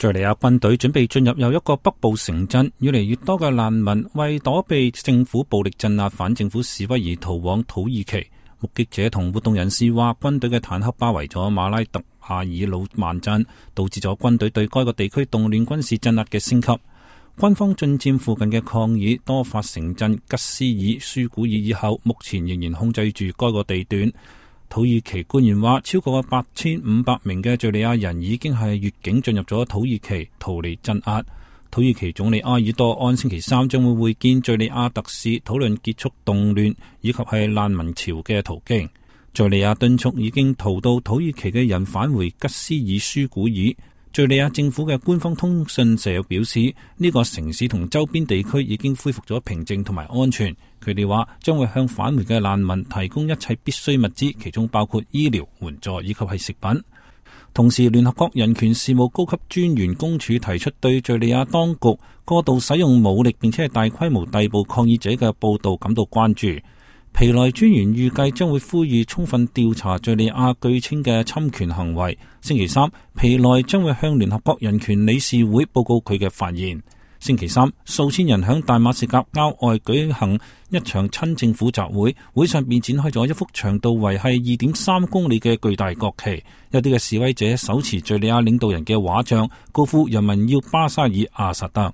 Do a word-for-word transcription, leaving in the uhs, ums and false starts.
敘利亞軍隊準備進入又一個北部城鎮，越嚟越多嘅難民為躲避政府暴力鎮壓反政府示威而逃往土耳其。目擊者同活動人士話，軍隊嘅坦克包圍咗馬拉特阿爾魯曼鎮，導致咗軍隊對該個地區動亂軍事鎮壓嘅升級。軍方進佔附近嘅抗議多發城鎮吉斯爾舒古爾以後，目前仍然控制住該個地段。土耳其官員話，超過八千五百名嘅敘利亞人已經係越境進入咗土耳其，逃離鎮壓。土耳其總理埃爾多安星期三將會會見敘利亞特使，討論結束動亂以及係難民潮嘅途徑。敘利亞敦促已經逃到土耳其嘅人返回吉斯爾舒古爾。敘利亞政府嘅官方通訊社表示，呢、這個城市同周邊地區已經恢復咗平靜同埋安全。佢哋話將會向返回嘅難民提供一切必需物資，其中包括醫療援助以及係食品。同時，聯合國人權事務高級專員公署提出對敘利亞當局過度使用武力並且係大規模逮捕抗議者嘅報道感到關注。皮萊專員預計將會呼籲充分調查敘利亞據稱嘅侵權行為。星期三，皮萊將會向聯合國人權理事會報告佢嘅發現。星期三，數千人響大馬士革郊外舉行一場親政府集會，會上便展開咗一幅長度為係二點三公里嘅巨大國旗。有啲嘅示威者手持敘利亞領導人嘅畫像，高呼人民要巴沙爾阿薩德。